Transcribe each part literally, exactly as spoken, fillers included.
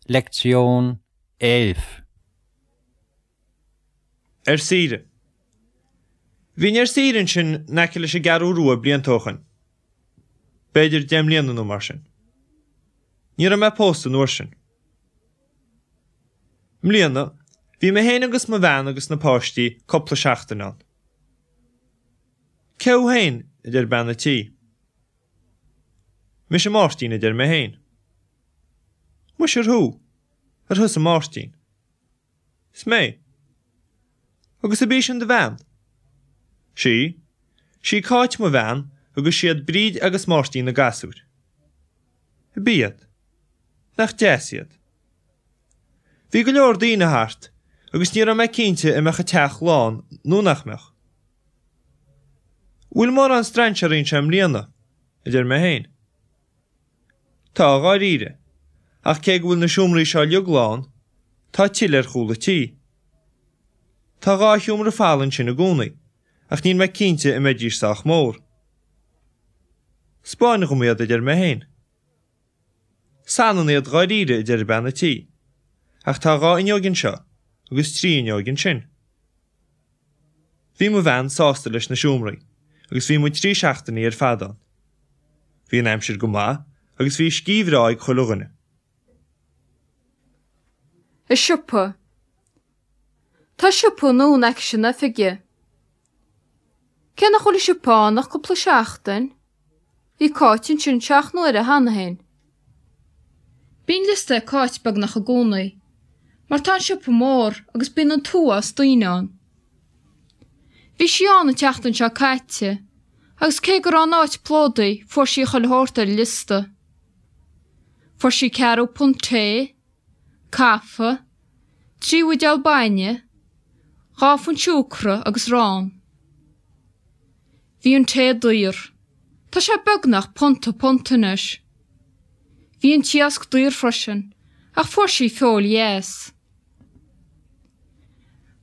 Lektion elf. Ar saoire. Bhínn ar saoire ansin in aice leis an gCeathrú Rua blianta ó shoin. B'fhéidir deich mbliana nó mar sin. Ní raibh mé pósta an uair sin. I mbliana, bhí mé féin agus mo bhean agus na páistí cúpla seachtain ann. Cé thú féin? a deir bean a' tí. Mise Máirtín a deir mé féin. Muise ar thú? Ar thusa Máirtín? Is mé. Agus ab í sin do bhean? Sí. Sí Cáit mo bhean agus siad Bríd agus Máirtín na gasúir. Ab iad? Nach deas iad? Bhí go leor daoine thart agus ní raibh mé cinnte an mbeadh an teach lán nó nach mbeadh. Bhfuil mórán strainséirí anseo i mbliana? a deir mé féin. Tá, dháiríre, ach cé go bhfuil na seomraí seo uilig lán, tá tuilleadh ar chúl an tí. Tá dhá sheomra folamh ansin i gcónaí, ach níl mé cinnte an mbeidís sách mór. 'Spáin dhom iad, a deir mé féin. 'Is ionann iad dháiríre, a deir bean an tí, ach tá dhá fhuinneog anseo agus trí fhuinneog ansin. Bhí mo bhean sásta leis na seomraí agus bhí muid trí seachtainí ar fad ann. Bhí an aimsir go maith agus bhí scíth bhreá ag chuile dhuine. I siopa. Tá siopa nua in aice na hoifige. Cé nach bhfuil an siopa ann ach cúpla seachtain, bhí Cáit ansin seacht n-uaire cheana féin. Bíonn liosta ag Cáit beagnach i gcónaí, mar tá an siopa mór agus bíonn an t-uafás daoine ann. Bhí sí ann an tseachtain seo caite, agus cé go raibh an áit plódaithe fuair sí chuile shórt ar an liosta. Fuair sí ceathrú punt tae, caife, trí bhuidéal bainne, dhá phunt siúcra agus arán. Bhí an tae daor. Tá sé beagnach punta punt anois. Bhí an t-iasc daor freisin, ach fuair sí feoil dheas.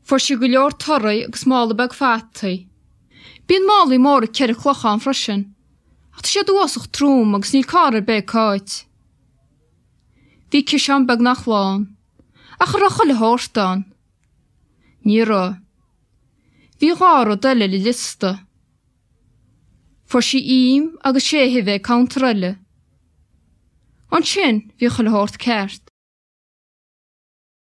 Fuair sí go leor torthaí agus mála beag fataí. Bíonn málaí móra ceithre cloch ann freisin, ach tá siad uafásach trom agus níl carr ar bith ag Cáit. Bhí ciseán beagnach lán, ach an raibh chuile shórt ann. Ní raibh. Bhí dhá rud eile ar an liosta. Fuair sí im agus sé huibhe ag counter eile. Ansin bhí chuile shórt ceart.